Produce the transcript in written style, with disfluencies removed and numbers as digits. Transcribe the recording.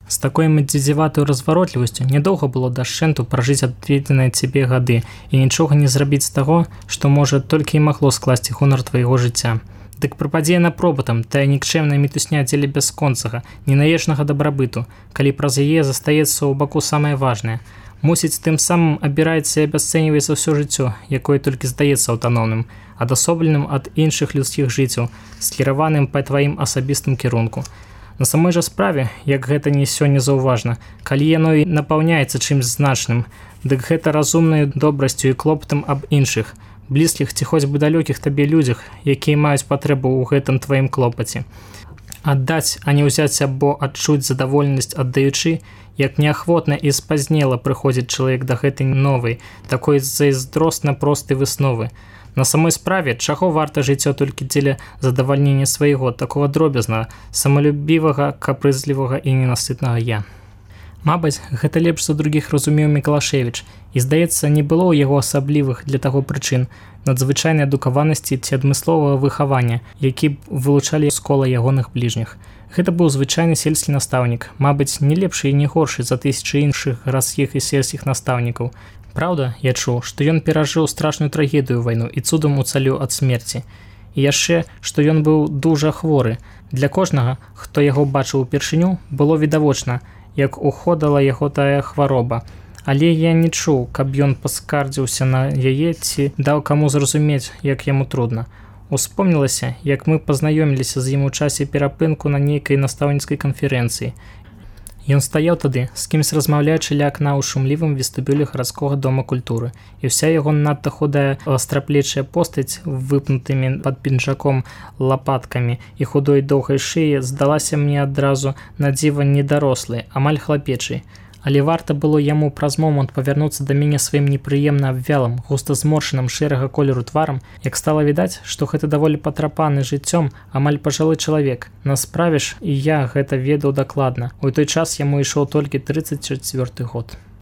З такой мадзідзіватай разваротлівасцю нядоўга было дашчэнту пражыць адведзеныя цябе гады і нічога не зрабіць з таго, што, можа, толькі і магло скласці гонар твайго жыцця. Дык прападзе на пробатам тая нікчэмная мітусня дзеля бясконцага, ненаечнага дабрабыту, калі праз яе застаецца ў баку самае важнае. Мусіць, тым самым абіраецца і абясцэньваецца ўсё жыццё, якое толькі здаецца аўтаномным, адасобленым ад іншых людскіх жыццяў, скіраваным па тваім асабістым кірунку. На самой жа справе, як гэта не сёння заўважна, калі яно і напаўняецца чымсь значным, дык гэта разумнай добрасцю і клопатам аб іншых, блізкіх ці хоць бы далёкіх табе людзях, якія маюць патрэбу ў гэтым тваім клопаце. Аддаць, а не ўзяць або адчуць задаволенасць аддаючы, як неахвотна і спазнела прыходзіць чалавек да гэтай новай, такой зайздросна простай высновы. На самой справе, чаго варта жыццё толькі дзеля задавальнення свайго, такого дробязнага, самалюбівага, капрызлівага і ненасытнага я. Мабыць, гэта лепш за другіх разумеў Мікалашевіч, і, здаецца, не было ў яго асаблівых для таго прычын, надзвычайнай адукаванасці ці адмысловага выхавання, які б вылучалі з кола ягоных бліжніх. Гэта быў звычайны сельскі настаўнік, мабыць, не лепшы і не горшы за тысячы іншых гарадскіх і сельскіх настаўнікаў. Праўда, я чуў, што ён перажыў страшную трагедыю вайну і цудам уцаліў ад смерці. І яшчэ, што ён быў дужа хворы. Для кожнага, хто яго бачыў упершыню, было відавочна, як уходала яго тая хвароба. Але я не чуў, каб ён паскардзіўся на яе ці даў каму зразумець, як яму трудна. Успомнілася, як мы пазнаёміліся з ім у часе перапынку на нейкай настаўніцкай канферэнцыі. Ён стаяў тады, з кімсь размаўляючы ля акна ў шумлівым вестыбюлі гарадскога дома культуры, і ўся яго надта худая вастраплечая постаць выпнутымі пад пінжаком лапаткамі і худой доўгай шыі здалася мне адразу на дзіва недарослай, амаль хлапечай. Але варта было яму праз момант павярнуцца да мяне сваім непрыемна абвялым, густа зморшаным шэрага колеру тварам, як стала відаць, што гэта даволі патрапаны жыццём амаль пажылы чалавек. На справе ж і я гэта ведаў дакладна. У той час яму ішоў толькі 34 год.